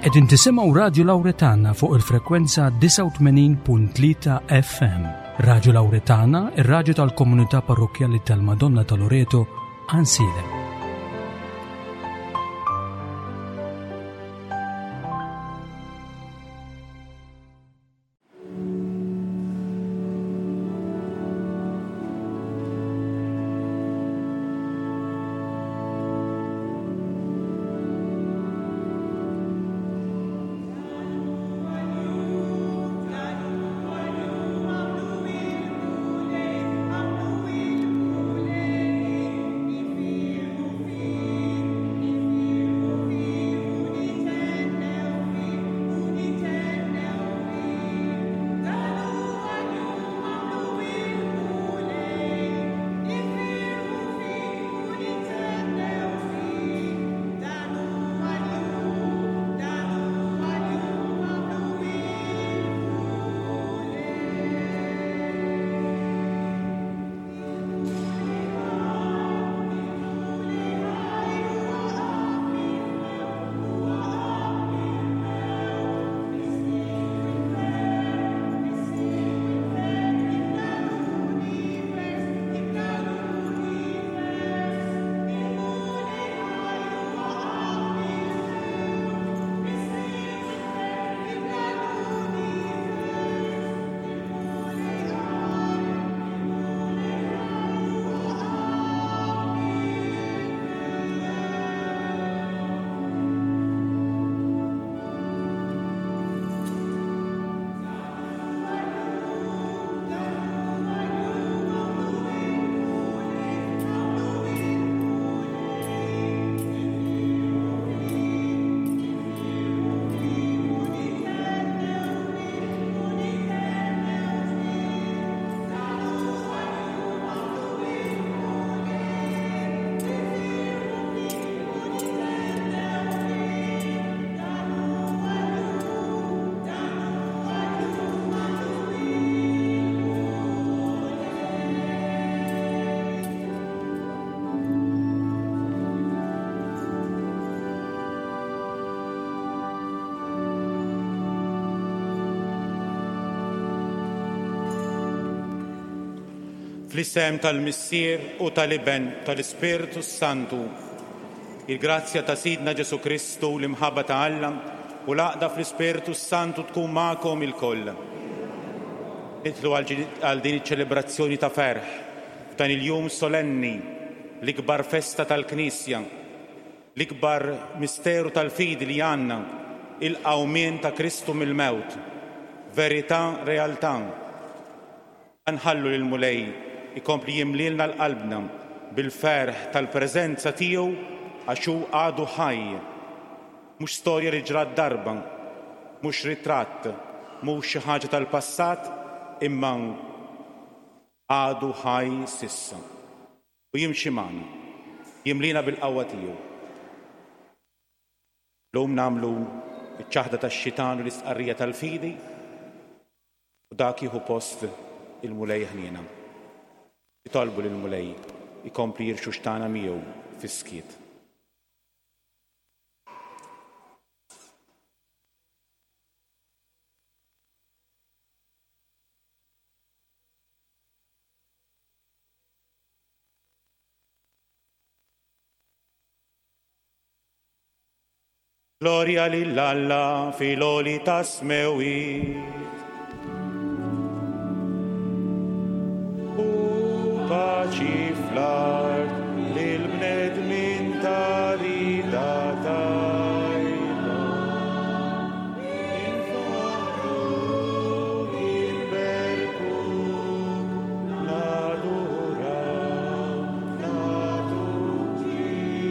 Qegħdin tisimgħu Radju Lawretana fuq il-frekwenza 89.3 FM. Radju Lawretana, ir-radju tal-komunità parrokkjali tal-Madonna ta' Loreto, Ansiedem. Fl-isem tal-Missier u tal-Iben tal-Ispirtu Santu, il-grazzja ta' Sidna Ġesu Kristu, l-imħabba ta' Alla u l-għaqda fl-Ispirtu Santu tkun magħkom ilkoll. Nidħlu għal din iċ-ċelebrazzjoni ta' ferħ f'dan il-jum solenni, l-ikbar festa tal-Knisja, l-ikbar misteru tal-fidi li għandna, il-qawmien ta' Kristu mill-mewt, verità, realtà. Nħallu lill-Mulej ikompli jimlielna l-qalbna bil-ferħ tal-preżenza tiegħu għax hu għadu ħaj. Mhux storja li ġrat darba, mhux ritratt, mhux xi ħaġa tal-passat, imma għadu ħaj s'issa. U jimxi magħna, jimliena bil-qawwa tiegħu. Illum nagħmlu ċ-ċaħda tax-xitan u l-istqarrija tal-fidi. U dak jieħu post il-Mulej ħniena. Nitolbu lill-Mulej ikompli jirxuxtana miegħu fis-skiet. Glorja lil Alla fil-għoli tas-smewwiet. U paċi fl-art lil bnedmin ta' rida tajba. Infaħħruk, inberkuk, nadurawk, nagħtuk ġieħ.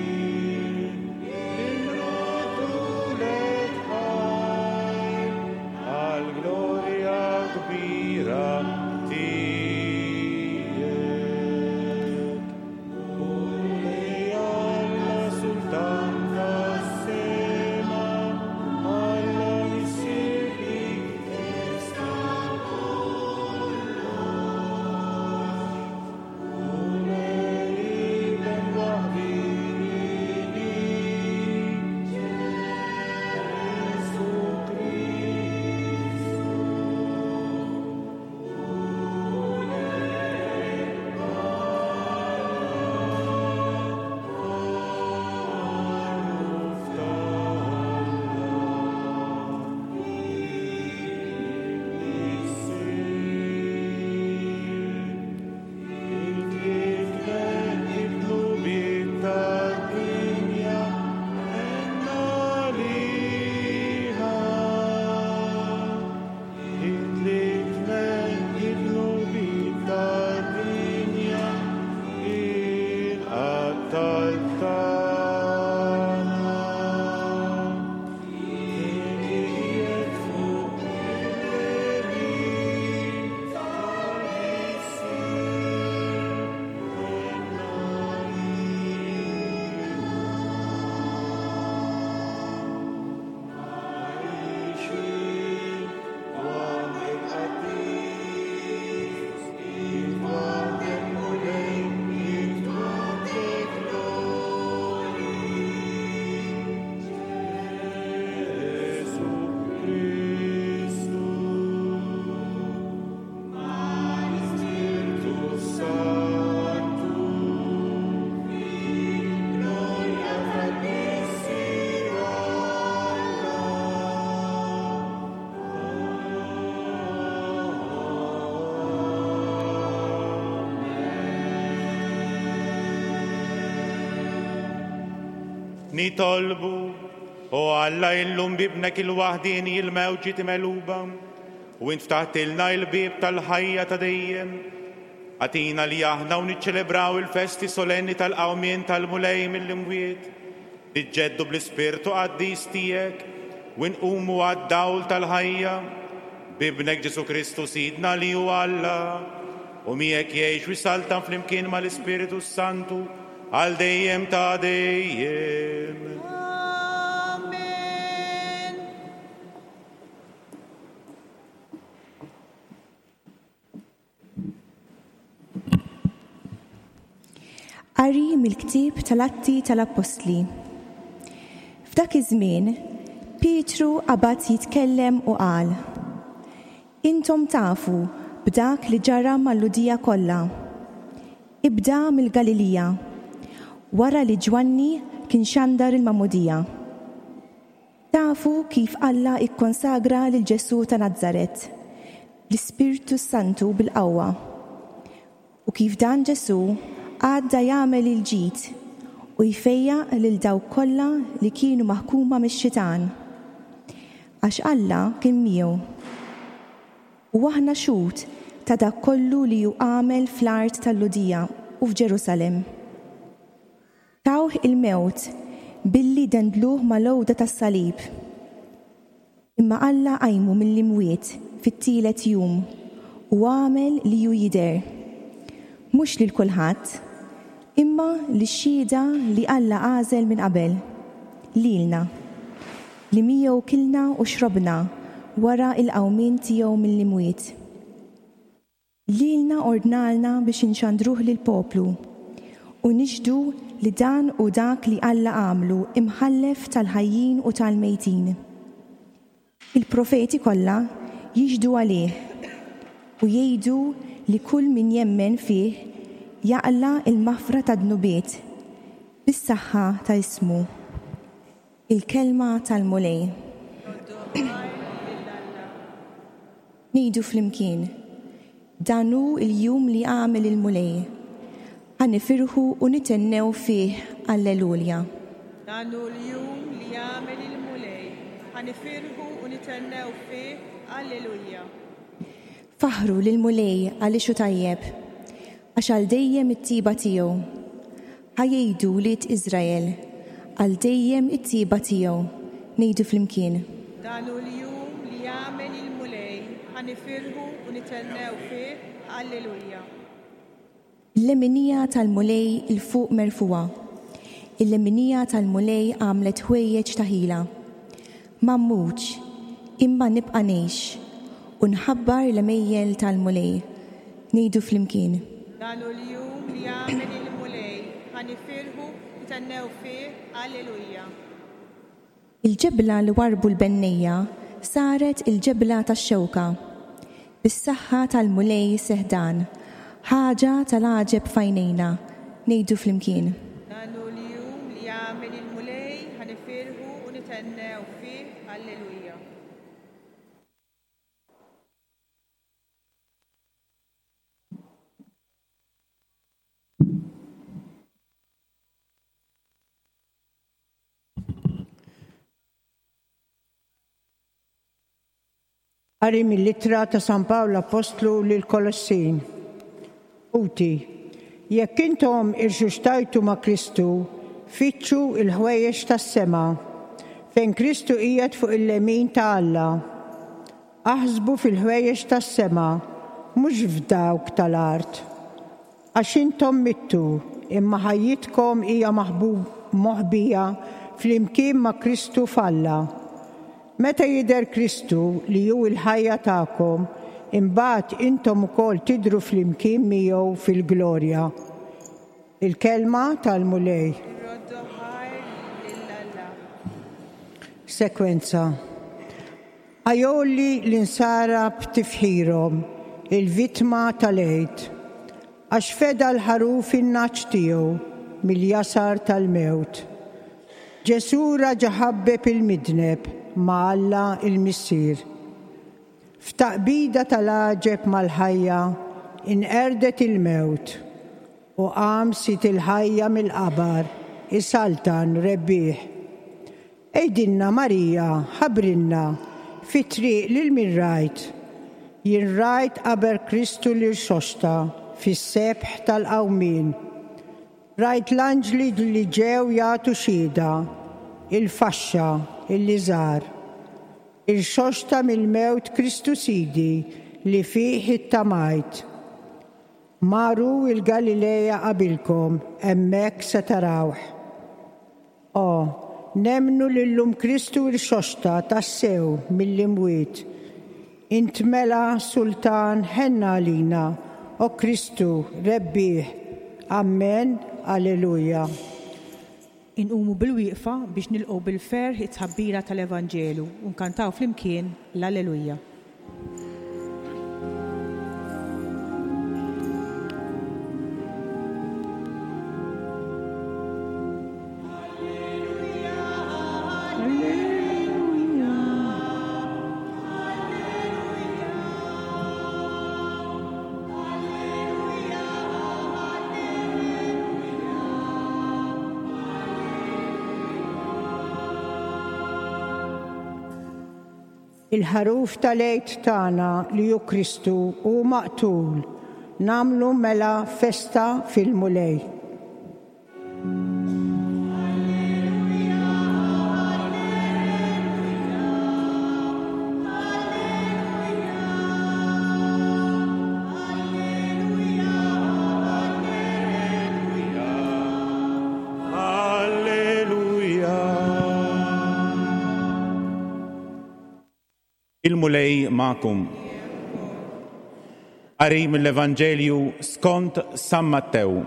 Nitolbu, o Alla illum b'Ibnek il-waħdieni il-mewt ġiet imegħluba, u int ftaħtilna il-bieb tal-ħajja ta' dejjem. Agħtina li aħna u niċċelebraw il-festi solenni tal-qawmien tal-Mulej mill-imwiet, niġġeddu bl-Ispirtu qaddis tiegħek u nqumu għad-dawl tal-ħajja, b'Ibnek Ġesù Kristu Sidna li hu Alla, u miegħek jgħix u jsaltan flimkien mal-Ispirtu s-Santu għal dejjem ta' dejjem. Amen. Qari mill-ktieb tal-Atti tal-Appostli. F'dak iż-żmien, Pietru qabad jitkellem u qal, Intom tafu b'dak li ġara mal-Lhudija kollha. Ibda mill-Galilija, wara li Ġwanni kien xandar il-magħmudija. Tafu kif Alla kkonsagra lil Ġesù ta' Nazaret bl-Ispirtu s-Santu bil-qawwa, u kif dan Ġesù għadda jagħmel il-ġid u jfejjaq lil dawk kollha li kienu maħkuma mix-xitan, għax Alla kien miegħu. U aħna xhud ta' dak kollu li hu għamel fl-art tal-Lhudija u f'Ġerusalemm. Tawh il-mewt billi dendluh mal-għuda tas-salib. Imma Alla qajmu mill-imwiet fit-tielet jum u għamel li hu jidher, mhux lil kulħadd, imma lix-xhieda li Alla għażel minn qabel, lilna, li miegħu kilna u xrobna wara l-qawmien tiegħu mill-imwiet. Lilna ordnalna biex inxandruh lill-poplu, u nixhdu li dan hu dak li Alla għamlu imħallef tal-ħajjin u tal-mejtin. Il-profeti kollha jixhdu għalih, u jgħidu li kull min jemmen fih jaqla' l-maħfra tad-dnubiet bis-saħħa ta' ismu. Il-Kelma tal-Mulej. Ngħidu flimkien, Dan hu l-jum li għamel il-Mulej, ħa nifirħu u nithennew fih, Allelulja. Dan hu l-jum li għamel il-Mulej, ħa nifirħu u nithennew fih, Allelujja. Faħħru lill-Mulej għaliex hu tajjeb, għax għal dejjem it-tjieba tiegħu. Ħa jgħidu wlied Iżrael, Għal dejjem it-tjieba tiegħu. Ngħidu flimkien. Dan hu l-jum li għamel il-Mulej, ħa nifirħu u nithennew fih. Alleluja. Il-leminija tal-Mulej 'il fuq merfugħa, il-leminija tal-Mulej għamlet ħwejjeġ ta' ħila. Ma mmutx, imma nibqa' ngħix, u nħabbar l-għemejjel tal-Mulej. Ngħidu flimkien. Dan hu l-jum li għamel il-Mulej, ħa nifirħu u nithennew fih. Alleluja. Il-ġebla li warrbu l-bennejja saret il-ġebla tax-xewka. Bis-saħħa tal-Mulej seħħ dan, ħaġa tal-għaġeb f'għajnejna. Ngħidu flimkien. Dan hu l-jum li għamel il-Mulej, ħa nifirħu u nithennew fih. Alleluja. Qari mill-Ittra ta' San Pawl Appostlu lill-Kolossin. Ħuti, jekk intom irxuxtajtu ma' Kristu, Fittxu l-ħwejjeġ tas-sema, fejn Kristu qiegħed fuq il-lemin ta' Alla. Aħsbu fil-ħwejjeġ tas-sema, mhux f'dawk tal-art. Għax intom mittu, imma ħajjitkom hija moħbija flimkien ma' Kristu f'Alla. Meta jidher Kristu, li hu l-ħajja tagħkom, imbagħad intom ukoll tidhru flimkien miegħu fil-glorja. Il-Kelma tal-Mulej. Irroddu ħajr lil Alla. Sekwenza. Għajoli l-insara b'tifħirhom il-vittma tal-Għid, għax feda l-ħaruf in-nagħaġ tiegħu mill-jasar tal-mewt. Ġesù raġa' ħabbeb il-midneb ma' Alla l-Missier. F'taqbida tal-għaġeb mal-ħajja inqerdet il-mewt u qam Sid il-ħajja mill-qabar isaltan rebbieħ. Għidilna Marija, ħabbrilna, fit-triq lil min rajt? Jien rajt qaber Kristu li rxoxta fis-sebħ tal-qawmien. Rajt l-anġli li ġew jagħtu xhieda, il-faxxa, il-liżar. Irxoxta mill-mewt Kristu Sidi li fih ittamajt. Marru l-Galilea qabilkom, hemmhekk se tarawh. O, nemmnu li llum Kristu rxoxta tassew mill-imwiet. Int mela, Sultan, ħenn għalina, o Kristu, rebbieħ. Ammen, Alleluja. Inqumu bilwieqfa biex nilqgħu bil-ferħ it-tħabbira tal-Evanġelu u nkantaw flimkien l-Alleluja. Il-Ħaruf tal-Għid tagħna li hu Kristu hu maqtul, nagħmlu mela festa fil-Mulej. Il-Mulej magħkom. Qari mill-Evanġelju skont San Mattew.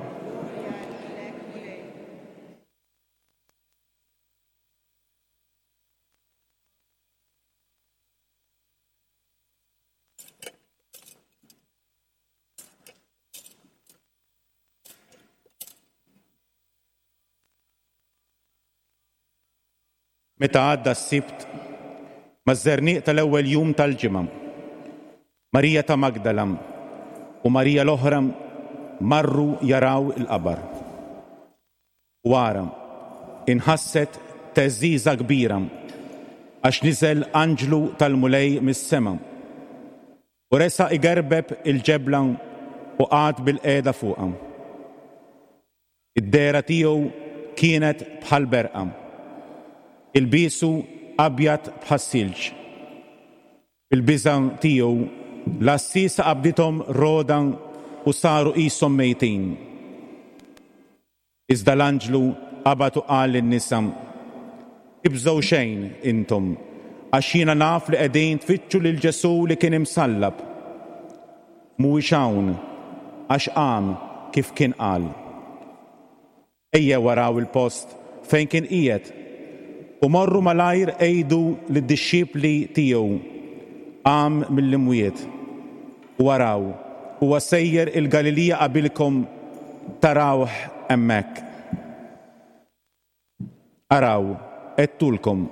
Meta għadda s-Sibt, maż-żerniq tal-ewwel jum tal-ġimgħa, Marija ta' Magdala u Marija l-oħra marru jaraw il-qabar. U ara, inħasset theżżiża kbira, għax niżel anġlu tal-Mulej mis-sema, u resaq igerbeb il-ġebla u qagħad bilqiegħda fuqha. Id-dehra tiegħu kienet bħal berqa, ilbiesu abjad bħas-silġ. Fil-biża' tiegħu, l-għassiesa qabdithom rogħda u saru qishom mejtin. Iżda l-anġlu qabad u qal lin-nisa, Tibżgħu xejn, intom, għax jiena naf li qegħdin tfittxu lil Ġesù li kien imsallab. Mhuwiex hawn, għax qam kif kien qal. Ejjew araw il-post fejn kien qiegħed, u morru malajr għidu lid-dixxipli tiegħu, 'Qam mill-imwiet. U araw, huwa sejjer il-Galilija qabilkom, tarawh hemmhekk. Araw, għedtulkom.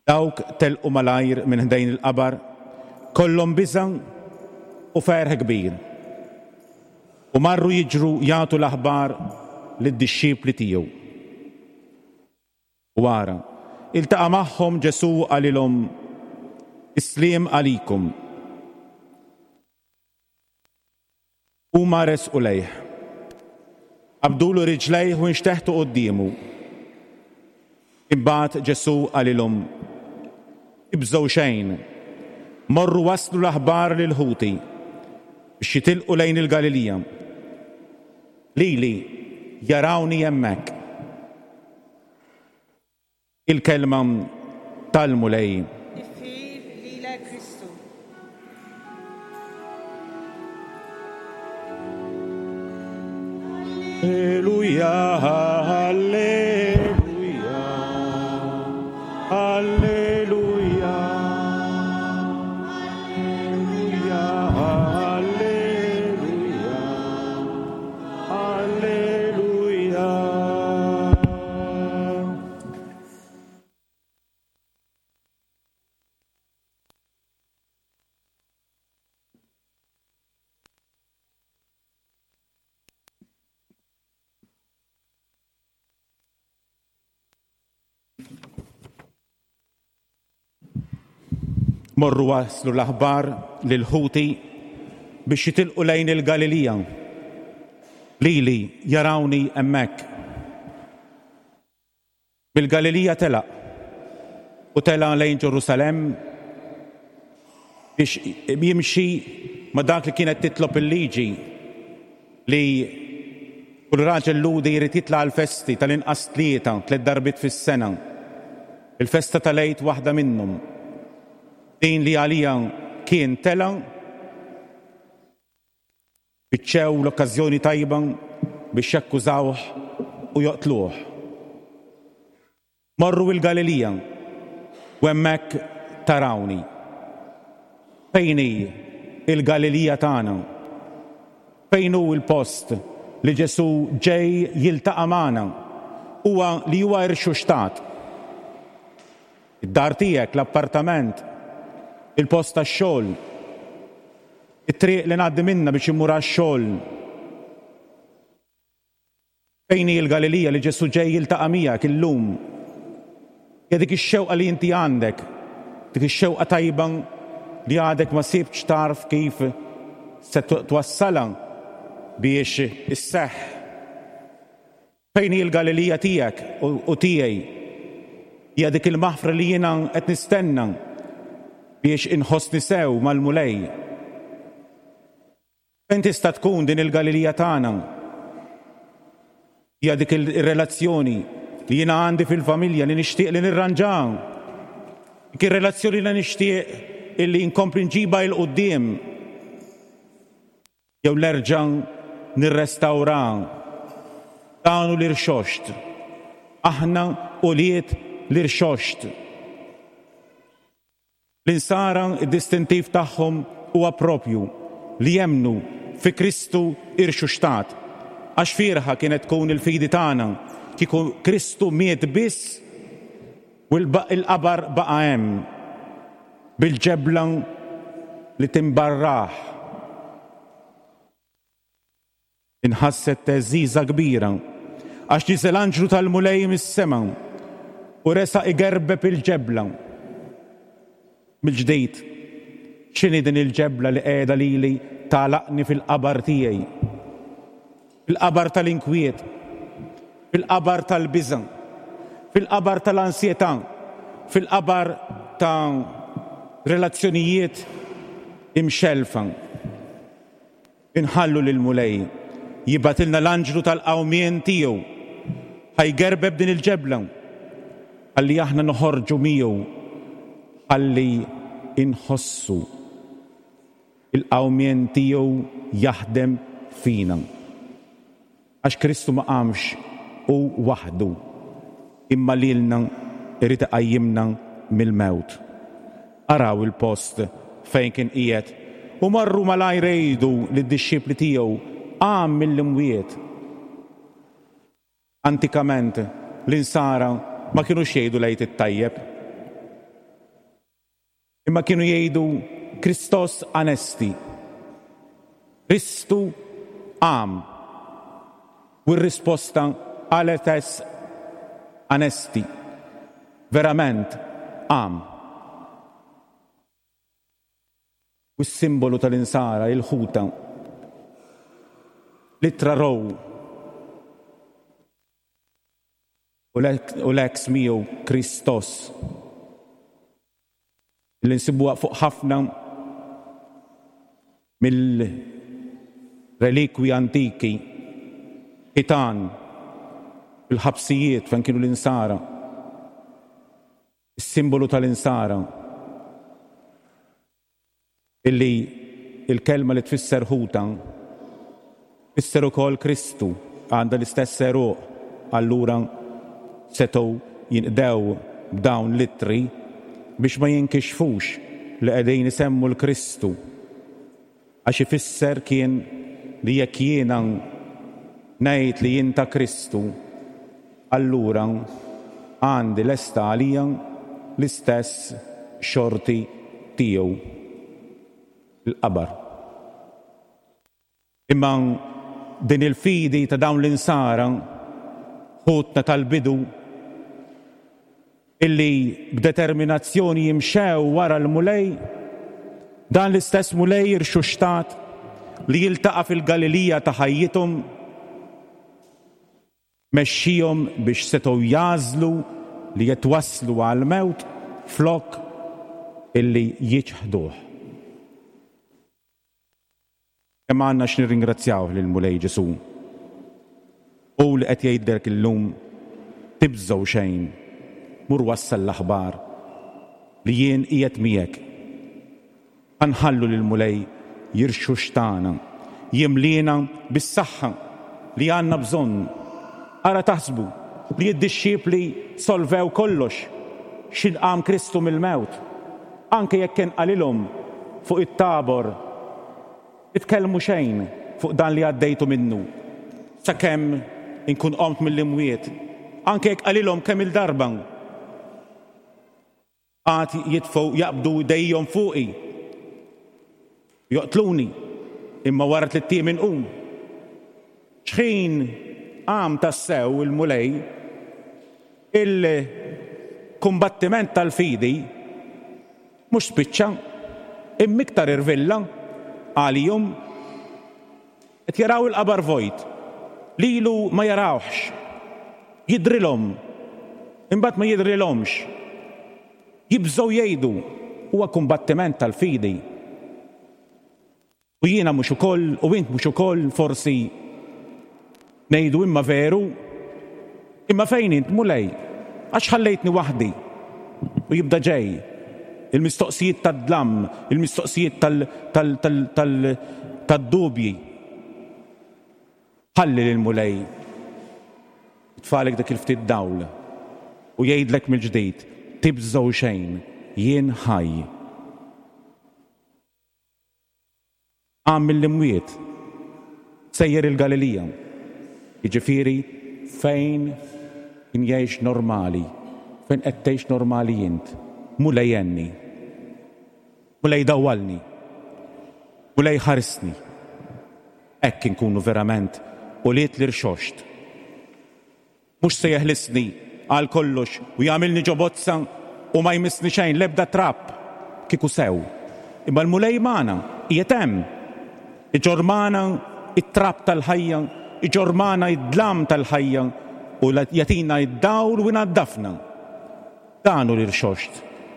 Dawk telqu malajr minn ħdejn il-qabar, kollhom biża' u ferħ kbir, u marru jiġru jagħtu l-aħbar lid-dixxipli tiegħu. U ara, iltaqa' magħhom Ġesù u qalilhom, Is-sliem għalikom. Huma resqu lejh. Qabdulu riġlejh u nxteħtu quddiemu. Imbagħad Ġesù qalilhom, Tibżgħu xejn. Morru wasslu l-aħbar lil ħuti biex jitilqu lejn il-Galilija. Lili jarawni hemmhekk. Il-Kelma tal-Mulej. Tifħir lilek Kristu. Alleluja, alleluja, alleluja. Alleluja, alleluja, alleluja. Morru wasslu l-aħbar lil ħuti biex jitilqu lejn il-Galilija. Lili jarawni hemmhekk. Mill-Galilija telaq u tela' lejn Ġerusalemm biex jimxi ma' dak li kienet titlob il-liġi li kull raġel Lhudi jrid jitla' għall-festi tal-inqas tlieta, tliet darbiet fis-sena. Il-festa tal-Għid waħda minnhom. Din li għaliha kien tela' Fittxew l-okkażjoni tajba biex jakkużawh u joqtluh. Morru l-Galilija u hemmhekk tarawni. Fejn hi l-Galilija tagħna? Fejn hu l-post li Ġesù ġej jiltaqa' magħna, huwa li huwa rxuxtat? Id-dar tiegħek, l-appartament, il-post tax-xogħol, it-triq li ngħaddi minnha biex immur għax-xogħol. Fejn hi l-Galilija li Ġesù ġej jiltaqa' miegħek illum? Hija dik ix-xewqa li inti għandek, dik ix-xewqa tajba li għadek ma sibtx tarf kif se twassalha biex isseħħ. Fejn hi l-Galilija tiegħek u tiegħi? Hija dik il-maħfra li jiena qed nistenna biex inħossni sew mal-Mulej. Fejn tista' tkun din il-Galilija tagħna? Hija dik ir-relazzjoni li jiena għandi fil-familja li nixtieq li nirranġaha. Dik ir-relazzjoni li nixtieq illi nkompli nġibha 'l quddiem. Jew nerġa' nirrestawra. Dan hu l-irxoxt. Aħna ulied l-irxoxt. L-Insara d-distintiv tagħhom huwa proprju li jemmnu fi Kristu irxuxtat. Għax fierħa kienet tkun il-fidi tagħna kieku Kristu miet biss u l-qabar baqa' hemm bil-ġebla li timbarrah. Inħasset theżżiża kbira għax niżel anġlu tal-Mulej mis-sema u resaq igerbeb il-ġebla. Mill-ġdid, x'inhi din il-ġebla li qiegħda lili tagħlaqni fil-qabar tiegħi? Fil-qabar tal-inkwiet, fil-qabar tal-biża', fil-qabar tal-ansjetà, fil-qabar ta' relazzjonijiet imxellfa. Inħallu lill-Mulej jibgħatilna l-anġlu tal-qawmien tiegħu ħa jgerbeb din il-ġebla ħalli aħna noħorġu miegħu ħalli inħossu il-qawmien tiegħu jaħdem fina. Għax Kristu ma qamx hu waħdu, imma lilna jrid iqajjimna mill-mewt. Araw il-post fejn kien qiegħed, u marru malajr igħidu lid-dixxipli tiegħu, Qam mill-imwiet. Antikament, l-Insara ma kinux jgħidu l-Għid it-Tajjeb. Imma kienu jgħidu Christos anesti, Kristu qam. U r-risposta aletes anesti, verament qam. U s-simbolu tal-Insara, il-ħuta. L-ittra Rho. U l-ex miegħu Kristos li nsibuha fuq ħafna mill-relikwi antiki, ħitan, fil-ħabsijiet fejn kienu l-insara, is-simbolu tal-insara. Illi l-kelma li tfisser ħuta tfisser ukoll Kristu, għandha l-istess għeruq, allura setgħu jinqdew b'dawn l-ittri biex ma jinkixfux li qegħdin isemmu 'l Kristu, għax ifisser kien li jekk jiena ngħid li jien ta' Kristu, allura għandi lesta għalija l-istess xorti tiegħu, il-qabar. Imma din il-fidi ta' dawn l-insara, ħutna tal-bidu, illi b'determinazzjoni jimxew wara l-Mulej, dan l-istess Mulej irxuxtat li jiltaqa' fil-Galilija ta' ħajjithom, Mexxihom biex setgħu jagħżlu li jitwasslu għall-mewt flok illi jiċħduh. Kemm għandna x'nirringrazzjawh lill-Mulej Ġesù! Hu li qed jgħidlek illum, Tibżgħu xejn, mur wassal l-aħbar li jien qiegħed miegħek. Ħa nħallu lill-Mulej jirxuxtana, jimliena bis-saħħa li għandna bżonn. Ara taħsbu li d-dixxipli solvew kollox x'ħin qam Kristu mill-mewt, anke jekk kien qalilhom fuq it-Tabor, Titkellmu xejn fuq dan li għaddejtu minnu, sakemm inkun qomt mill-imwiet, anke jekk qalilhom kemm-il darba. Għad jitfgħu jaqbdu jdejhom fuqi, joqtluni, imma wara tlitt ijiem inqum. X'ħin qam tassew il-Mulej, il-kumbattiment tal-fidi mhux spiċċa, imma iktar irvilla għalihom. Qed jaraw il-qabar vojt. Lilu ma jarawhx. Jidhrilhom. Imbagħad ma jidhrilhomx. Jibżgħu jgħidu, Huwa kumbattiment tal-fidi. U jiena mhux ukoll, u int mhux ukoll, forsi ngħidu imma veru? Imma fejn int, Mulej? Għax ħallejtni waħdi? U jibda ġej. Il-mistoqsijiet tad-dlam, il-mistoqsijiet tad-dubji. Ħalli lill-Mulej jitfagħlek dak il-ftit dawl u jgħidlek mill-ġdid, Tibżgħu xejn, jien ħaj. Qam mill-imwiet, sejjer il-Galilija, jiġifieri fejn kien jgħix normali, fejn qed tgħix normali int. Mulej għenni. Mulej dawwalni. Mulej ħarisni. Hekk inkunu verament ulied l-Irxoxt. Mhux se jeħlisni għal kollox u jagħmilni ġo bozza u ma jmissni xejn, l-ebda trab, kieku sew. Imma l-Mulej magħna, qiegħed hemm. Iġorr magħna t-trab tal-ħajja, iġorr magħna d-dlam tal-ħajja u jagħtina d-dawl u jnaddafna. Dan hu l-Irxoxt.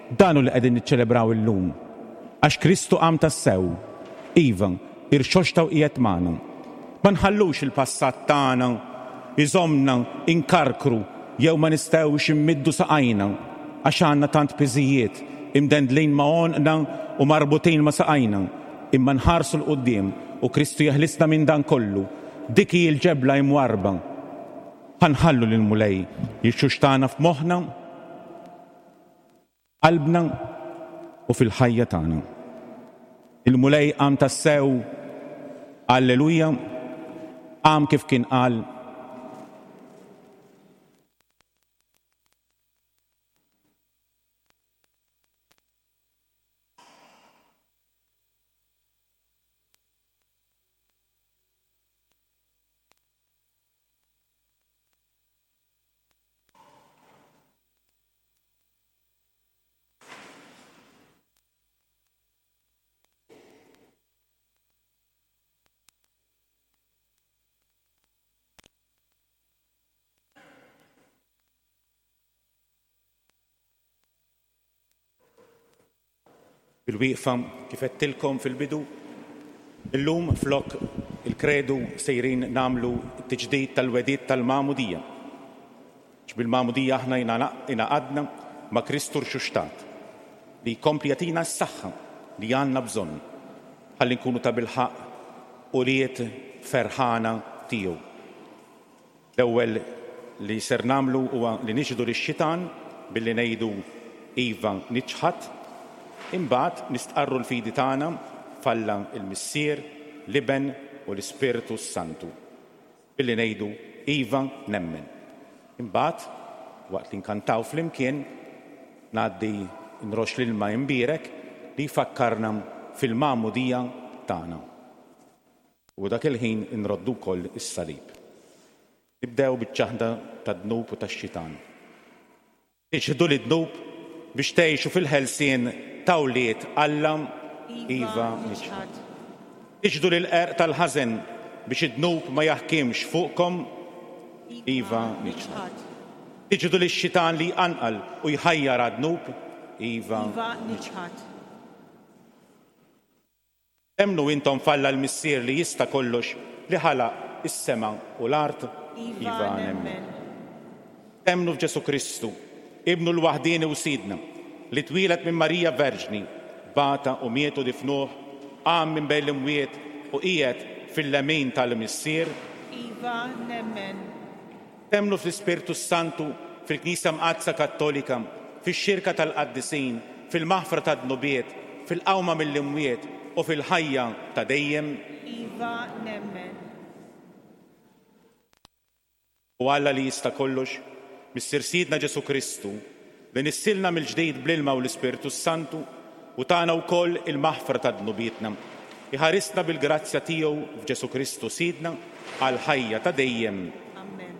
Dan hu li qegħdin niċċelebraw illum. Għax Kristu qam tassew. Iva, irxoxta u qiegħed magħna. Ma nħallux il-passat tagħna jżommna nkarkru jew ma nistgħux immiddu saqajna għax għandna tant piżijiet imdendlin ma' għonqna u marbutin ma' saqajna, imma nħarsu 'l quddiem u Kristu jeħlisna minn dan kollu. Dik hi l-ġebla imwarrba. Ħa nħallu lill-Mulej jirxuxtana f'moħħna, f'qalbna u fil-ħajja tagħna. Il-Mulej qam tassew, Alleluja, qam kif kien qal. Bil-wieqfa, kif għedtilkom fil-bidu, illum flok il-kredu sejrin nagħmlu t-tiġdid tal-wegħdiet tal-magħmudija. Għax bil-magħmudija aħna ingħaqadna ma' Kristu rxuxtat, li jkompli jagħtina s-saħħa li għandna bżonn ħalli nkunu tabilħaqq ulied ferħana tiegħu. L-ewwel li ser nagħmlu huwa li nixhdu lix-xitan billi ngħidu Iva niċħad, imbagħad nistqarru l-fidi tagħna f'Alla l-Missier, l-Iben u l-Ispirtu s-Santu billi ngħidu Iva nemmen. Imbagħad, waqt li nkantaw flimkien, ngħaddi nroxx l-ilma imbierek li jfakkarna fil-magħmudija tagħna. U dak il-ħin inroddu wkoll is-salib. Nibdew biċ-ċaħda tad-dnub u tax-xitan. Iċħdu lid-dnub biex tgħixu fil-ħelsien ta' wlied Alla? Iva, niċħad. Iċħdu lill-qerq tal-ħażen biex id-dnub ma jaħkimx fuqkom? Iva, niċħad. Iċħdu lix-xitan li jqanqal u jħajjar għad-dnub? Iva, niċħad. Temmnu intom f'Alla l-Missier li jista' kollox li ħalaq is-sema u l-art? Iva, nemmen. Temmnu f'Ġesù Kristu, Ibnu l-waħdieni u Sidna, li twieled minn Marija Verġni, bata u miet u difnuh, qam minn bejn l-imwiet u qiegħed fil-lemin tal-Missier? Iva, nemmen. Temmnu fl-Ispirtu s-Santu, fil-Knisja Mqaddsa Kattolika, fix-xirka tal-qaddisin, fil-maħfra tad-dnubiet, fil-qawma mill-imwiet u fil-ħajja ta' dejjem? Iva, nemmen. O Alla li jista' kollox, Missier Sidna Ġesù Kristu, li nissilna mill-ġdid bl-ilma u l-Ispirtu s-Santu u tana wkoll il-maħfra ta' dnubietna, iħarisna bil-grazzja tiegħu f'Ġesù Kristu Sidna għall-ħajja ta' dejjem. Amen.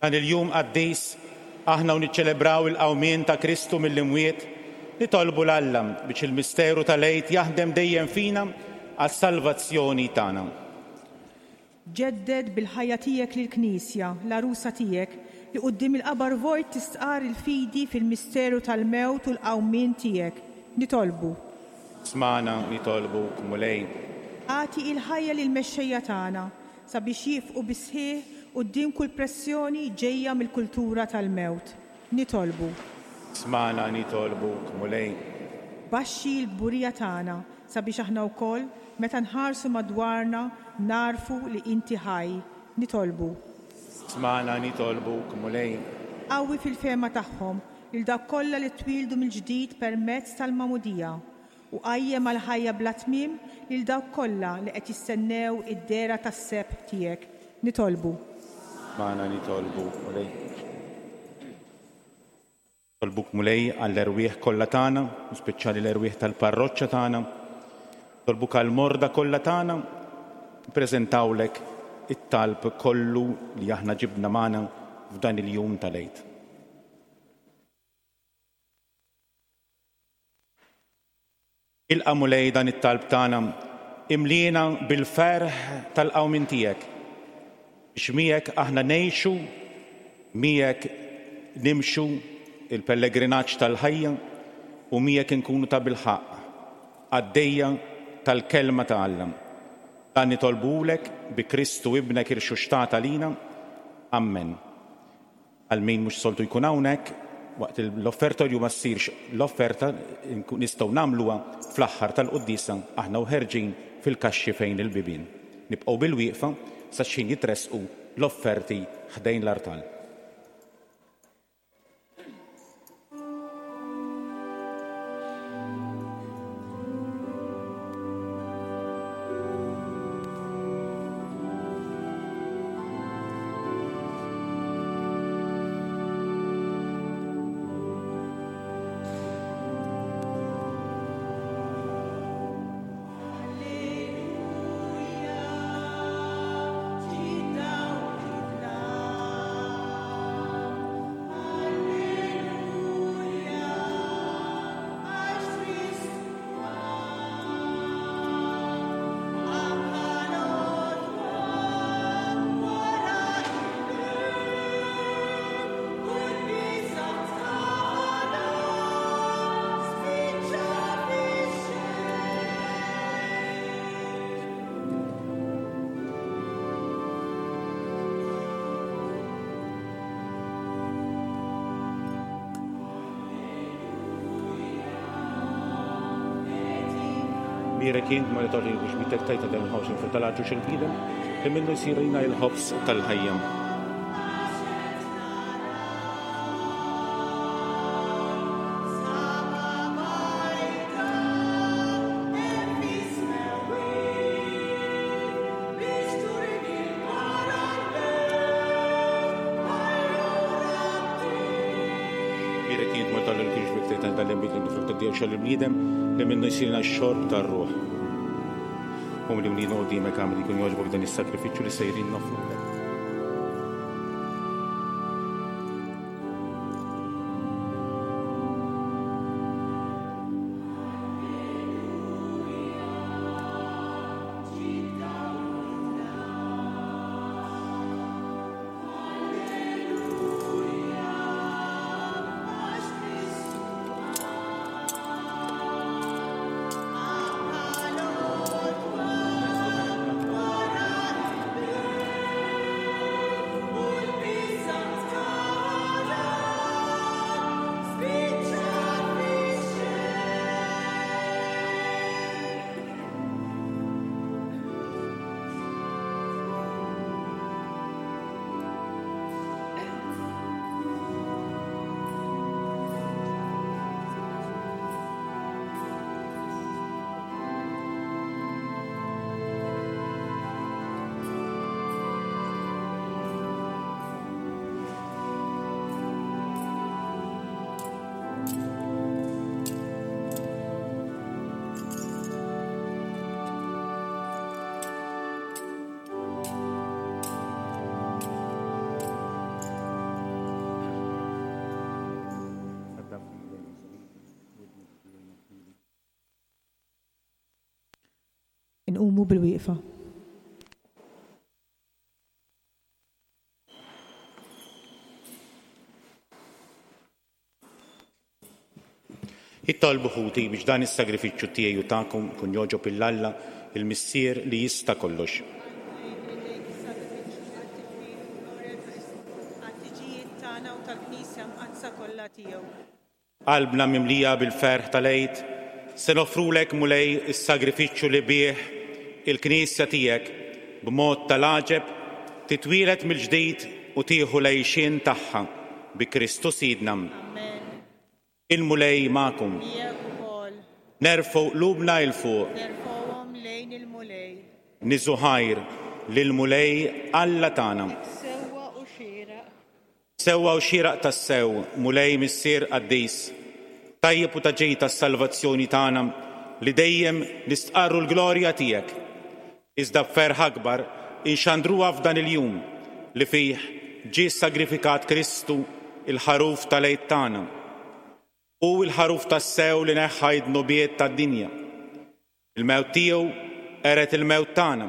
Dan il-jum qaddis, aħna u niċċelebraw il-qawmien ta' Kristu mill-imwiet, nitolbu 'l Alla biex il-misteru tal-Għid jaħdem dejjem fina għas-salvazzjoni tagħna. Ġedded bil-ħajja tiegħek lill-Knisja, l-għarusa tiegħek, li quddiem il-qabar vojt tistqarr il-fidi fil-misteru tal-mewt u l-qawmien tiegħek. Nitolbu. Smagħna, nitolbuk, Mulej. Agħti il-ħajja lill-mexxejja tagħna, sabiex jieqfqu bis-sħiħ quddiem kull pressjoni ġejja mill-kultura tal-mewt. Nitolbu. Smagħna, nitolbuk, Mulej. Baxxi l-kburija tagħna sabiex aħna wkoll, meta nħarsu madwarna, nagħrfu li inti ħaj. Nitolbu. Smagħna, nitolbuk, Mulej. Qawwi fil-fehma tagħhom lil dawk kollha li twieldu mill-ġdid permezz tal-magħmudija, U qajjem għall-ħajja bla tmiem lil dawk kollha li qed jistennew id-dehra tas-sebħ tiegħek. Nitolbu. Magħna nitolbu, Mulej. Nitolbuk, Mulej, għall-erwieħ kollha tagħna, u speċjali l-erwieħ tal-parroċċa tagħna. Nitolbuk għall-morda kollha tagħna. Nippreżentawlek it-talb kollu li aħna ġibna magħna f'dan il-jum tal-Għid. Ilqa' Mulej dan it-talb tagħna, imliena bil-ferħ tal-qawmien tiegħek, biex miegħek aħna ngħixu, miegħek nimxu il-pellegrinaġġ tal-ħajja u miegħek inkunu tabilħaqq qaddejja tal-Kelma ta' Alla. Dan nitolbuhulek bi Kristu Ibnek irxuxtat għalina. Ammen. Għal min mhux soltu jkun hawnhekk, waqt l-offertorju ma ssirx l-offerta, nistgħu nagħmluha fl-aħħar tal-quddiesa aħna u ħerġin fil-kaxxi fejn il-bibien. Nibqgħu bilwieqfa sa x'ħin jitressqu l-offerti ħdejn l-artal. Bierek int ma li tagħti biex bitek tajta dan il-ħobż il tal-għaġġu il-bniedem li minnu jsir lina il-ħobż tal-ħajja. Bierek int ma tagħti biex bitek tajta dan il-ħobż il-bniedem li minnu jsirna x-xorb tar-ruħ. U li mlina qudiemek għamel jkun jogħġbok dan is-sagrifiċċju li sejrin noffrulek. Inqumu bil-wieqfa. Itolbu ħuti biex dan is-sagrifiċċju tiegħi u tagħkom ikun jogħġob 'il Alla, il-Missier li jista' kollox. Qalbna mimlija bil-ferħ tal-Għid, se noffrulek, Mulej, is-sagrifiċċju li bih il-Knisja tiegħek, b'mod tal-għaġeb, titwieled mill-ġdid u tieħu l-għixien tagħha bi Kristu Sidna. Il-Mulej magħkom. Miegħek ukoll. Nerfgħu qlubna 'l fuq. Nerfgħuhom lejn il-Mulej. Niżu ħajr lill-Mulej Alla tagħna. Hekk sewwa u xieraq. Sewwa u xieraq tassew, Mulej Missier qaddis, tajjeb u ta' ġid għas-salvazzjoni tagħna li dejjem nistqarru l-glorja tiegħek, iżda b'ferħ akbar inxandruha f'dan il-jum li fih ġie ssagrifikat Kristu, il-Ħaruf tal-Għid tagħna. Hu l-Ħaruf tassew li neħħa d-dnubiet tad-dinja. Il-mewt tiegħu qered il-mewt tagħna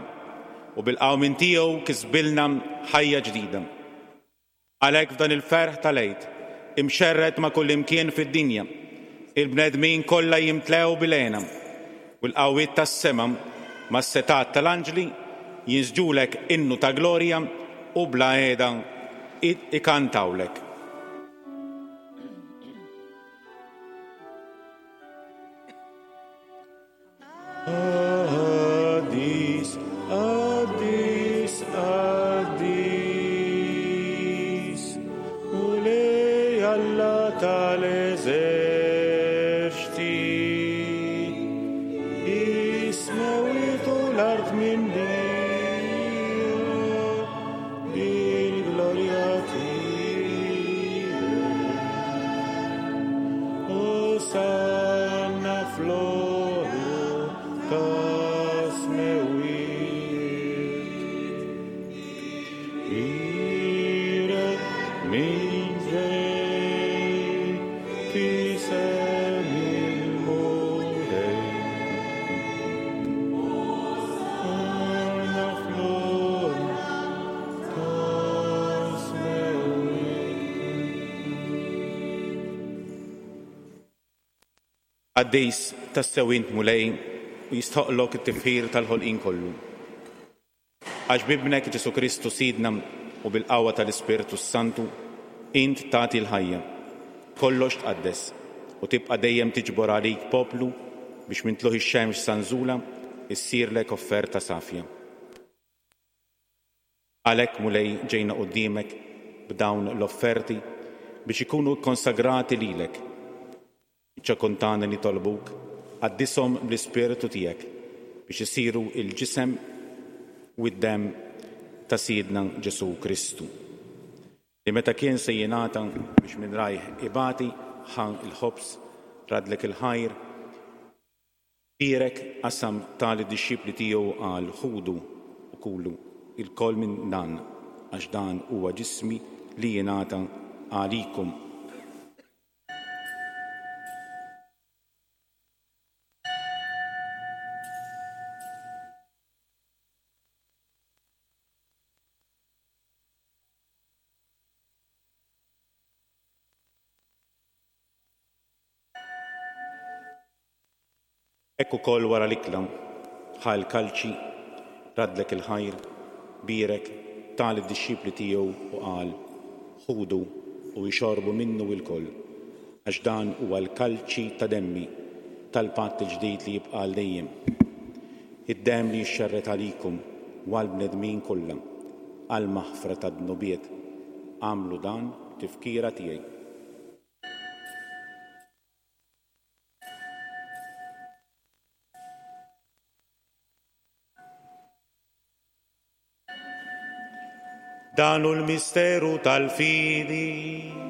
u bil-qawmien tiegħu kisbilna ħajja ġdida. Għalhekk f'dan il-ferħ tal-Għid, imxerred ma' kullimkien fid-dinja, il-bnedmin kollha jimtlew bil-hena, u l-qawwiet tas-sema mas-setgħat tal-anġli jinsġulek innu ta' glorja u bla heda ikantawlek. Qaddis, qaddis, qaddis, Mulej Alla tal-eżerċti, is-smewwiet u l-art mimlija bil-glorja tiegħek. Osanna fl-ogħla tas-smewwiet. Bierek min ġej f'isem il-Mulej. Osanna fl-ogħla tas-smewwiet. Qaddis tassew int Mulej u jistħoqqlok it-tifħir tal-ħolqien kollu. Għax b'Ibnek Ġesù Kristu Sidna u bil-qawwa tal-Ispirtu s-Santu int tagħti l-ħajja, kollox tqaddes u tibqa' dejjem tiġbor għalik poplu biex minn tlugħ ix-xemx sa nżulha issirlek offerta safja. Għalhekk, Mulej, ġejna quddiemek b'dawn l-offerti biex ikunu kkonsagrati lilek. Iċ-ċokon tagħna nitolbuk, qaddishom bl-Ispirtu tiegħek biex isiru l-ġisem u d-demm ta' Sidna Ġesù Kristu, li meta kien se jingħata biex minn rajh ibati, ħa l-ħobż, raddlek il-ħajr, Bierek qasam ta lid-dixxipli tiegħu qal, Ħudu u kulu ilkoll minn dan, għax dan huwa ġismi li jingħata għalikom. Hekk ukoll wara l-ikla, ħa l-kalċi, raddlek il-ħajr, bierek, ta lid-dixxipli tiegħu u qal, Ħudu u ixorbu minnu ilkoll, għax dan huwa l-kalċi ta' demmi, tal-patt il-ġdid li jibqa' għal dejjem. Id-demm li jixxerred għalikum u għall-bnedmin kollha, għall-maħfra tad-dnubiet. Agħmlu dan b'tifkira tiegħi. Dan hu l-misteru tal-fidi.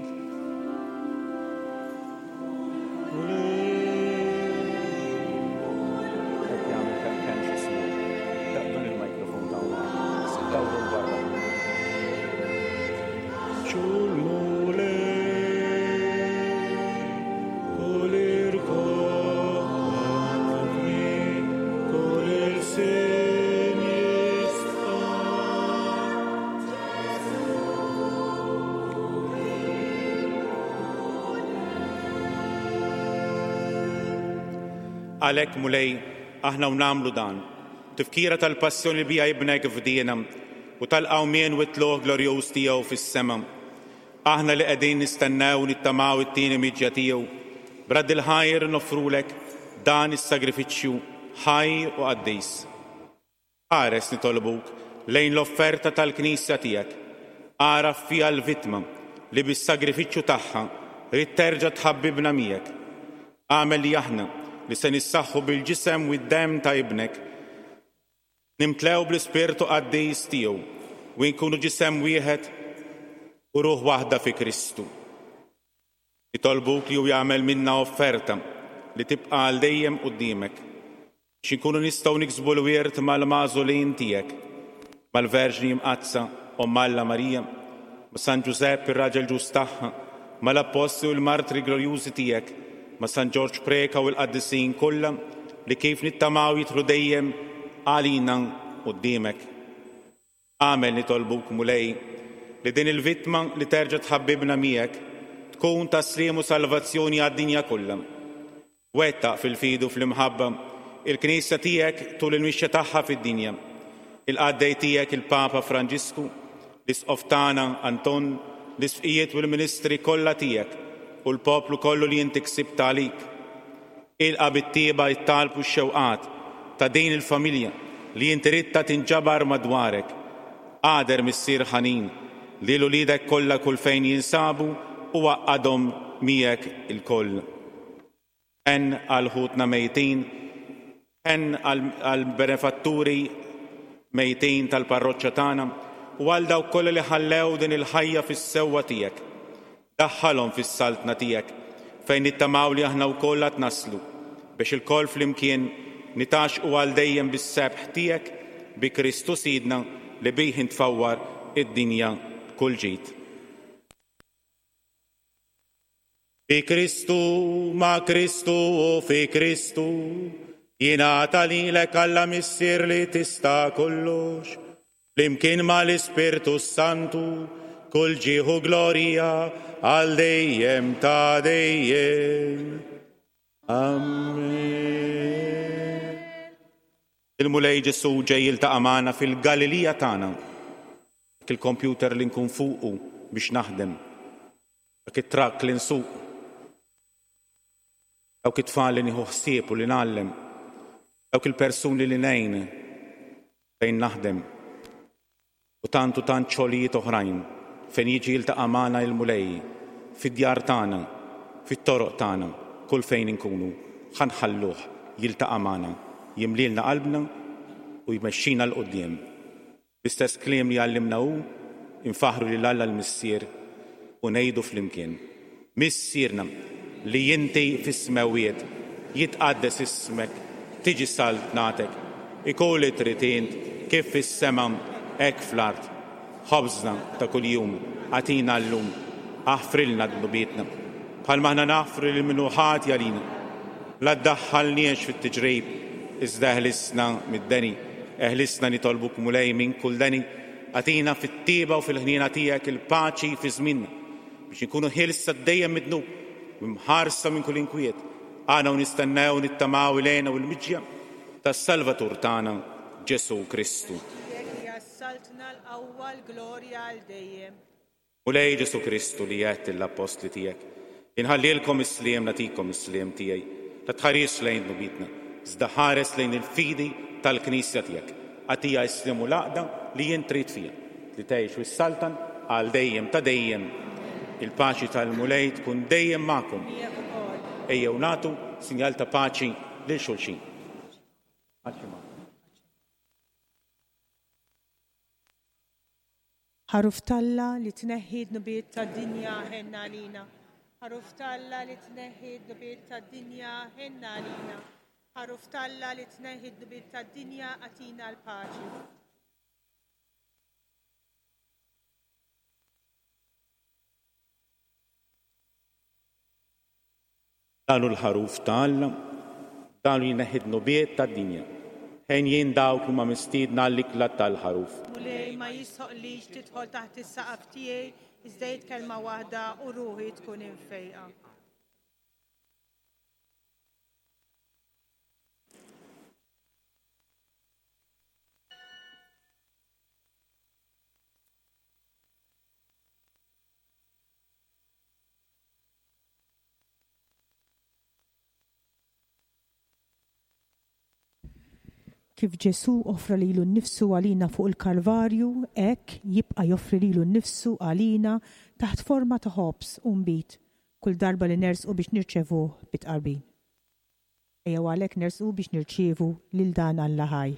Għalhekk, Mulej, aħna u nagħmlu dan, b'tifkira tal-passjoni li biha Ibnek fdiena u tal-qawmien u t-tlugħ glorjuż tiegħu fis-sema, aħna li qegħdin nistennew u nittamaw it-tieni miġja tiegħu, b'radd il-ħajr noffrulek dan is-sagrifiċċju ħaj u qaddis. Ħares, nitolbuk, lejn l-offerta tal-Knisja tiegħek. Agħraf fiha l-vittma li bis-sagrifiċċju tagħha ridt terġa' tħabbibna miegħek. Agħmel li aħna, li se nissaħħu bil-ġisem u d-demm ta' Ibnek, nimtlew bl-Ispirtu Qaddis tiegħu u nkunu ġisem wieħed u ruħ waħda fi Kristu. Nitolbuk li hu jagħmel minna offerta li tibqa' għal dejjem quddiemek, biex inkunu nistgħu niksbu l-wirt mal-magħżulin tiegħek, mal-Verġni Mqaddsa, Omm Alla Marija, ma' San Ġużepp ir-raġel ġust tagħha, mal-Appostli u l-martri glorjużi tiegħek, ma' San Ġorġ Preca u l-qaddisin kollha li kif nittamaw jidħlu dejjem għalina quddiemek. Agħmel, nitolbuk, Mulej, li din il-vittma li terġa' tħabbibna miegħek tkun ta' sliem u salvazzjoni għad-dinja kollha. Wettaq fil-fidi u fl-imħabba il-Knisja tiegħek tul il-mixja tagħha fid-dinja. Il-qaddej tiegħek il-Papa Franġisku, l-Isqof tagħna Anton, l-Isqfijiet u l-ministri kollha tiegħek u l-poplu kollu li inti ksibt għalik. Ilqa' bit-tjieba t-talb u x-xewqat ta' din il-familja li inti ridtha tinġabar madwarek. Agħder, Missier ħanin, lil uliedek kollha kull fejn jinsabu u għaqqadhom miegħek ilkoll. Ħenn għal ħutna mejtin, ħenn għall-benefatturi mejtin tal-parroċċa tagħna u għal dawk kollha li ħallew din il-ħajja fis-sewwa tiegħek. Daħħalhom fis-Saltna tiegħek, fejn nittamaw li aħna wkoll għad naslu, biex ilkoll flimkien nitgħaxxqu għal dejjem bis-sebħ tiegħek, bi Kristu Sidna li bih int tfawwar id-dinja b'kull ġid. Bi Kristu, ma' Kristu u fi Kristu, jingħata lilek Alla Missier li tista' kollox, Flimkien ma' l-Ispirtu s-Santu, kull ġieħ u glorja għal dejjem ta' dejjem. Amen. Il-Mulej Ġesù ġej jiltaqa' magħna fil-Galilija tagħna. Dak il-kompjuter li nkun fuqu biex naħdem, dak it-trakk li nsuq, dawk it-tfal li nieħu ħsieb u li ngħallem, dawk il-persuni li ngħin fejn naħdem, u tant u tant xogħlijiet oħrajn fejn jiġi jiltaqa' magħna il-Mulej, fid-djar tagħna, fit-toroq tagħna, kull fejn inkunu, ħa nħalluh jiltaqa' magħna, jimlielna qalbna u jmexxina 'l quddiem. Bl-istess kliem li għallimna hu, infaħħru lil Alla l-Missier u ngħidu flimkien, Missierna li inti fis-smewwiet, jitqaddes ismek, tiġi saltnatek, ikun li trid int kif fis-sema hekk fl-art. Ħobżna ta' kuljum agħtina llum, aħfrilna dnubietna, bħalma aħna naħfru lil min hu ħati għalina. La ddaħħalniex fit-tiġrib, iżda eħlisna mid-deni. Eħlisna nitolbuk Mulej minn kull deni, agħtina fit-tjieba u fil-ħniena tiegħek il-paċi fi żmienna, biex inkunu ħielsa dejjem mid-dnub u mħarsa minn kull inkwiet, aħna u nistennew u nittamaw il-hena u l-miġja tas-Salvatur tagħna, Ġesù Kristu. Tiegħek hija s-saltna, l-qawwa, l-glorja għal dejjem. Mulej Ġesù Kristu li għedt lill-appostli tiegħek, Inħallilkom is-sliem, nagħtikom is-sliem tiegħi, la tħarisx lejn dnubietna, iżda ħares lejn il-fidi tal-Knisja tiegħek. Agħtiha s-sliem u l-għaqda li int trid fiha, li tgħix u ssaltan għal dejjem ta' dejjem. Il-paċi tal-Mulej tkun dejjem magħkom. Miegħek ukoll. Ejjew nagħtu sinjal ta' paċi lil xulxin. Paċi magħkom. Ħaruf t'Alla li tneħħi d-dnubiet tad-dinja, ħenn għalina. Ħaruf t'Alla li tneħħi d-dnubiet tad-dinja, ħenn għalina. Ħaruf t'Alla li tneħħi d-dnubiet tad-dinja, agħtina l-paċi. Dan hu l-Ħaruf ta' Alla, dan hu jneħħi d-dnubiet tad-dinja. Henjin dawk li huma mistiedna għall-ikla tal-Ħaruf. Mulej, ma jistħoqqlix tidħol taħt is-saqaf tiegħi, iżda għid kelma waħda u ruħi tkun imfejqa. Kif Ġesù offra lilu nnifsu għalina fuq il-Kalvarju, hekk jibqa' joffri lilu nnifsu għalina taħt forma ta' ħobż u nbid kull darba li nersqu biex nirċevuh bit-tqarbin. Ejjew għalhekk nersqu biex nirċievu lil dan Alla ħaj.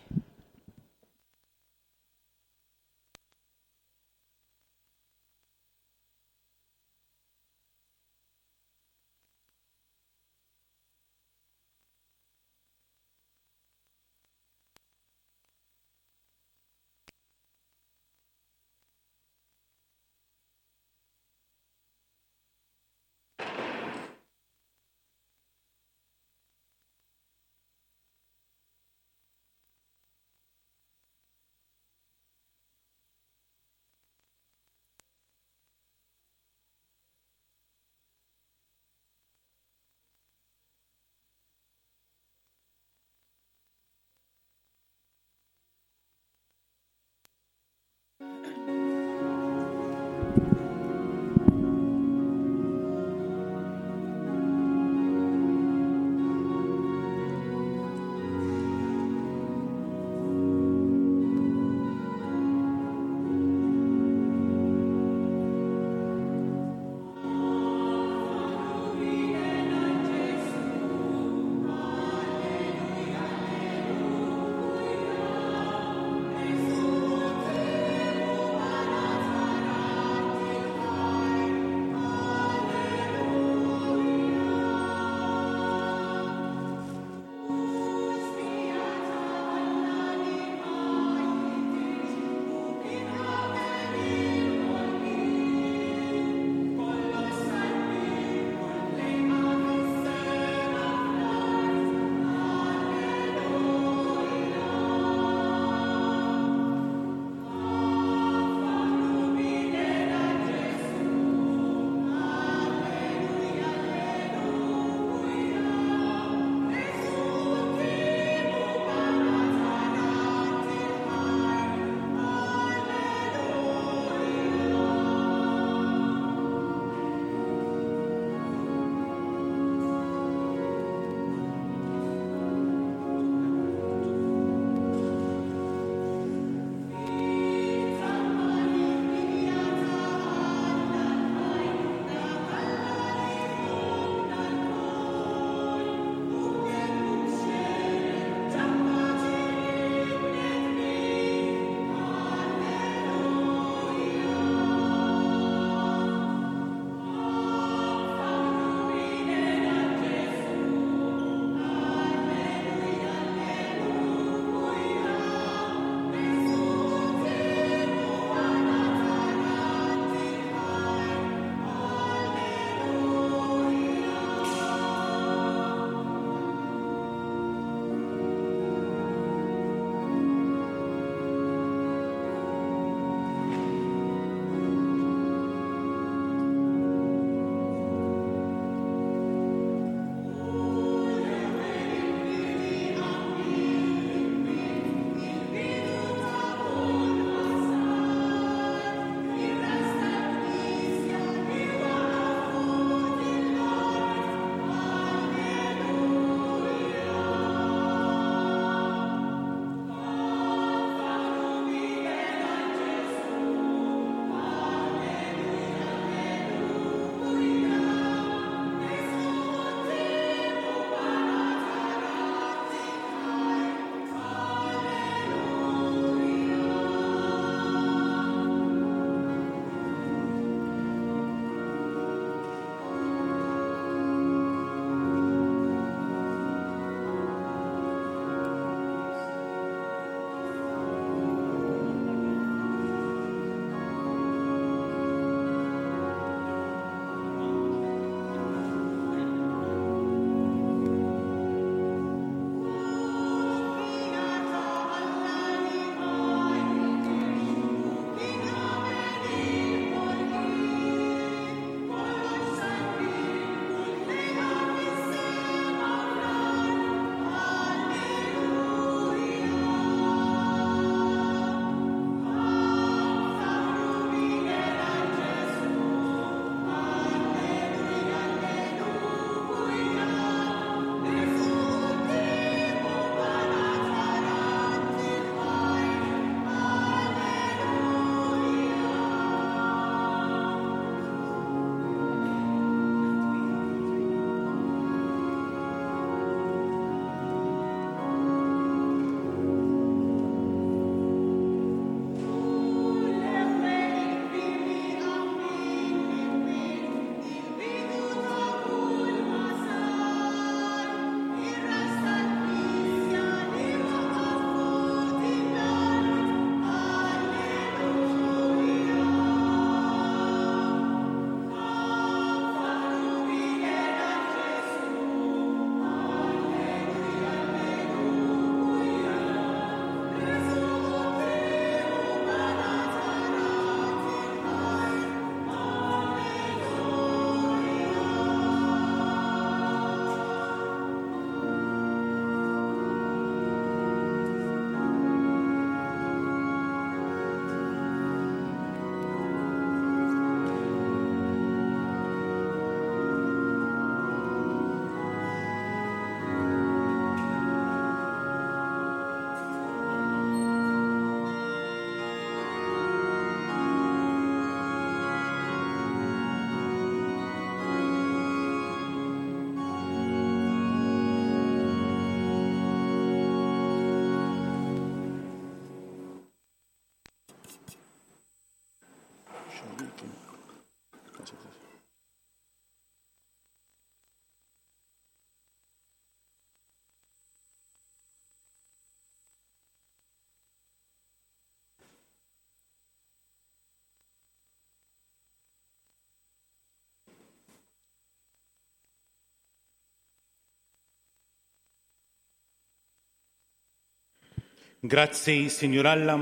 Grazzi, Sinjur Alla.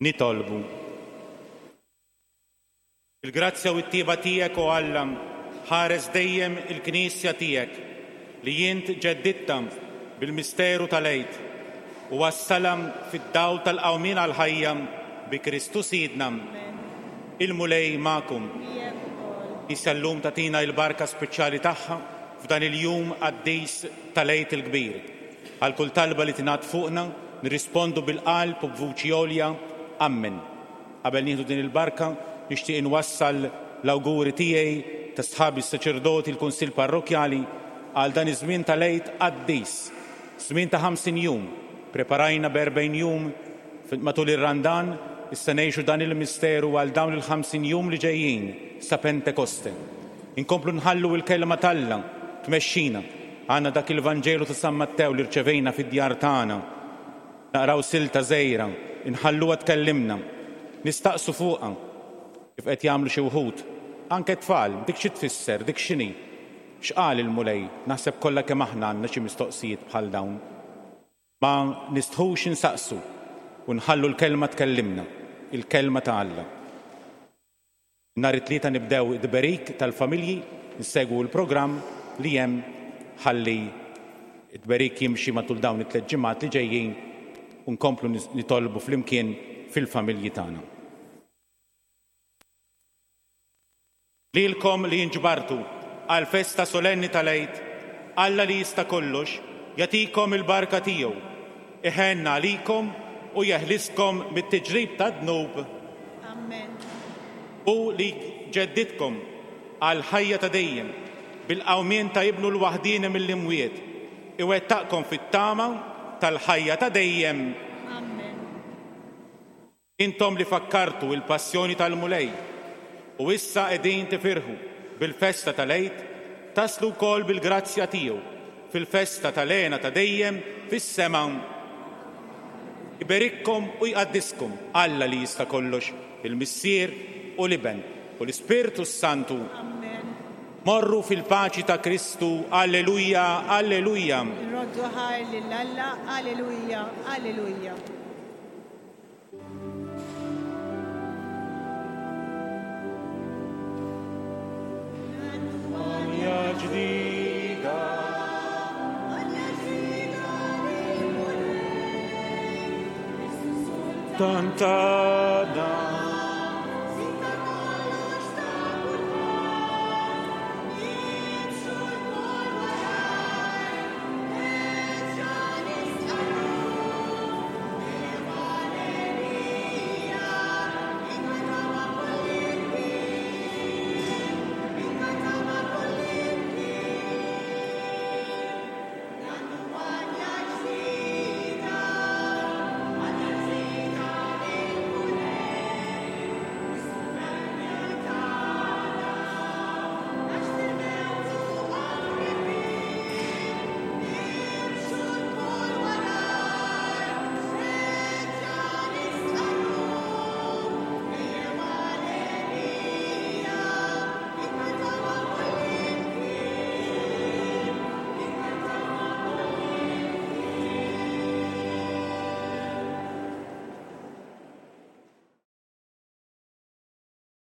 Nitolbu. Il-grazzja u t-tjieba tiegħek, o Alla, ħares dejjem il-Knisja tiegħek li int ġeddidtha bil-misteru tal-Għid u wassalha fid-dawl tal-qawmien għall-ħajja bi Kristu Sidna. Il-Mulej magħkom. Knisja llum tagħtina l-barka speċjali tagħha f'dan il-jum qaddis tal-Għid il-Kbir. Għal kull talba li tingħad fuqna, nirrispondu bil-qalb u b'vuċi għolja, Ammen. Qabel nieħdu din il-barka, nixtieq inwassal l-awguri tiegħi, ta' sħabi s-saċerdoti, l-Kunsill Parrokkjali, għal dan iż-żmien tal-Għid qaddis. Żmien ta' 50 jum. Preparajna b'erbgħin jum matul ir-Randan, issa ngħixu dan il-misteru għal dawn il-50 jum li ġejjin sa Pentekoste. Inkomplu nħallu l-Kelma t'Alla tmexxina. Għandna dak il-Vanġelu ta' San Mattew li rċevejna fid-djar tagħna. Naqraw silta żgħira, inħalluha tkellimna. Nistaqsu fuqha, kif qed jagħmlu xi wħud. Anke t-tfal, dik xi tfisser, dik x'inhi? X'qal il-Mulej? Naħseb kollha kemm aħna għandna xi mistoqsijiet bħal dawn. Ma nistħux insaqsu u nħallu l-Kelma tkellimna, il-Kelma ta' Alla. Nhar it-Tlieta nibdew it-tberik tal-familji, nsegwu l-programm li hemm ħalli t-tberik jimxi matul dawn it-tlett ġimgħat li ġejjin u nkomplu nitolbu flimkien fil-familji tagħna. Lilkom li inġbartu għall-festa solenni tal-Għid, Alla li jista' kollox jagħtikom il-barka tiegħu, iħenn għalikom u jeħliskom mit-tiġrib tad-dnub. Amen. Hu li jġeddidkom għall-ħajja ta' dejjem bil-qawmien ta' Ibnu l-waħdieni mill-imwiet, iwettaqkom fit-tama tal-ħajja ta' dejjem. Amen. Intom li fakkartu l-passjoni tal-Mulej u issa qegħdin tifirħu bil-festa tal-Għid, taslu wkoll bil-grazzja tiegħu fil-festa tal-hena ta' dejjem fis-sema. Iberikkom u jqaddiskom Alla li jista' kollox, il-Missier u l-Iben u l-Ispirtu s-Santu. Amen. Morru fil-paċi ta' Kristu. Alleluja, alleluja. Nroddu ħajr lil Alla. Alleluja, alleluja. Tantana.